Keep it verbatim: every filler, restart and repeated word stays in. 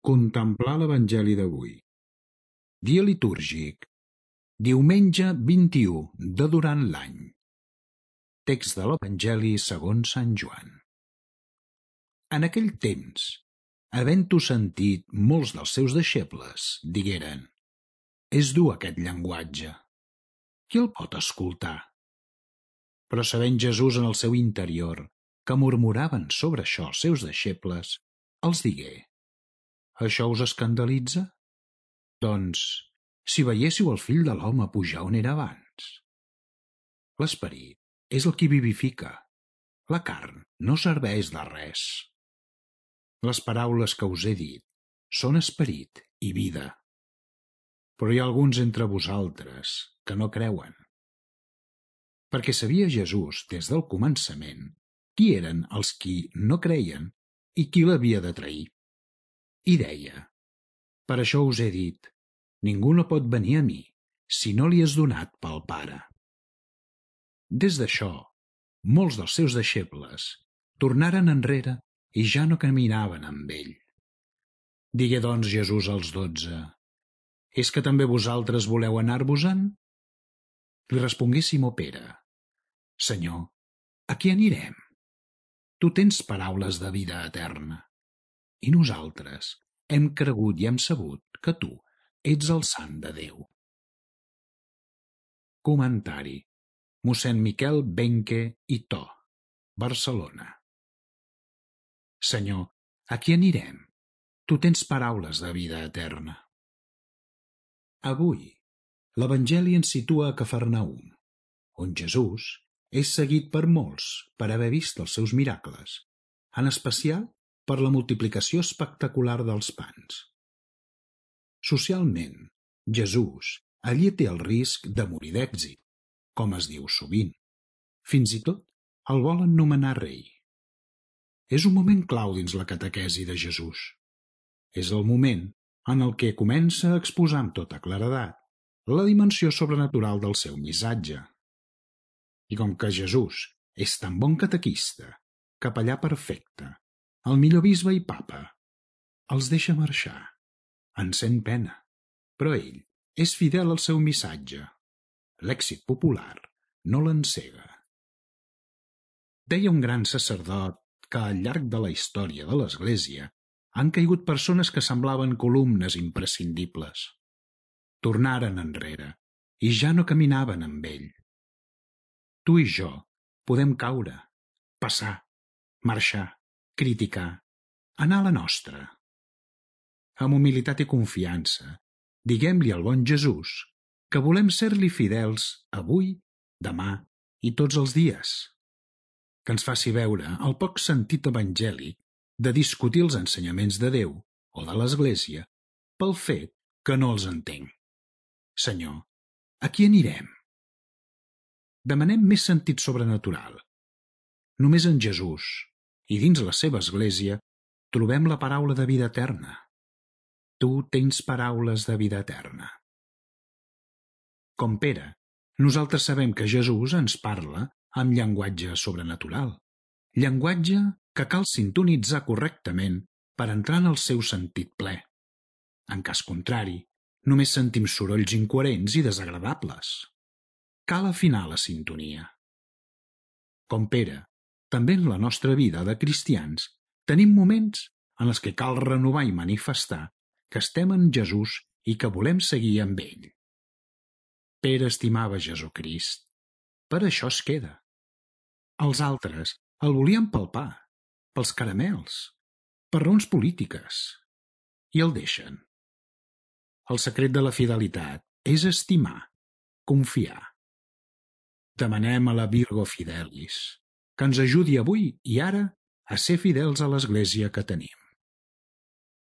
Contemplar l'Evangeli d'avui. Dia litúrgic. Diumenge vint-i-u de durant l'any. Text de l'Evangeli segons Sant Joan. En aquell temps, havent-ho sentit molts dels seus deixebles, digueren: és dur aquest llenguatge. Qui el pot escoltar? Però sabent Jesús en el seu interior que murmuraven sobre això els seus deixebles, els digué: això us escandalitza? Doncs, si veiéssiu el Fill de l'home pujar on era abans. L'esperit és el qui vivifica. La carn no serveix de res. Les paraules que us he dit són esperit i vida. Però hi ha alguns entre vosaltres que no creuen. Perquè sabia Jesús des del començament qui eren els qui no creien i qui l'havia de trair. I deia: per això us he dit, ningú no pot venir a mi si no li és donat pel Pare. Des d'això, molts dels seus deixebles tornaren enrere i ja no caminaven amb ell. Digué doncs Jesús als dotze: és que també vosaltres voleu anar-vos-en? Li respongué Simó Pere: Senyor, a qui anirem? Tu tens paraules de vida eterna. I nosaltres hem cregut i hem sabut que tu ets el Sant de Déu. Comentari: mossèn Miquel Benque i To, Barcelona. Senyor, a qui anirem? Tu tens paraules de vida eterna. Avui, l'Evangeli ens situa a Cafarnaüm, on Jesús és seguit per molts per haver vist els seus miracles, en especial per la multiplicació espectacular dels pans. Socialment, Jesús allí té el risc de morir d'èxit, com es diu sovint. Fins i tot el volen nomenar rei. És un moment clau dins la catequesi de Jesús. És el moment en el que comença a exposar amb tota claredat la dimensió sobrenatural del seu missatge. I com que Jesús és tan bon catequista, capellà perfecte, el millor bisbe i papa, els deixa marxar. En sent pena, però ell és fidel al seu missatge. L'èxit popular no l'encega. Deia un gran sacerdot que al llarg de la història de l'Església han caigut persones que semblaven columnes imprescindibles. Tornaren enrere i ja no caminaven amb ell. Tu i jo podem caure, passar, marxar, criticar, anar a la nostra. Amb humilitat i confiança, diguem-li al bon Jesús que volem ser-li fidels avui, demà i tots els dies. Que ens faci veure el poc sentit evangèlic de discutir els ensenyaments de Déu o de l'Església pel fet que no els entenc. Senyor, a qui anirem? Demanem més sentit sobrenatural. Només en Jesús i dins la seva Església trobem la paraula de vida eterna. Tu tens paraules de vida eterna. Com Pere, nosaltres sabem que Jesús ens parla amb llenguatge sobrenatural, llenguatge que cal sintonitzar correctament per entrar en el seu sentit ple. En cas contrari, només sentim sorolls incoherents i desagradables. Cal afinar la sintonia. Com Pere, també en la nostra vida de cristians tenim moments en els que cal renovar i manifestar que estem en Jesús i que volem seguir amb ell. Pere estimava Jesucrist. Per això es queda. Els altres el volien pel pa, pels caramels, per raons polítiques. I el deixen. El secret de la fidelitat és estimar, confiar. Demanem a la Virgo Fidelis que ens ajudi avui i ara a ser fidels a l'Església que tenim.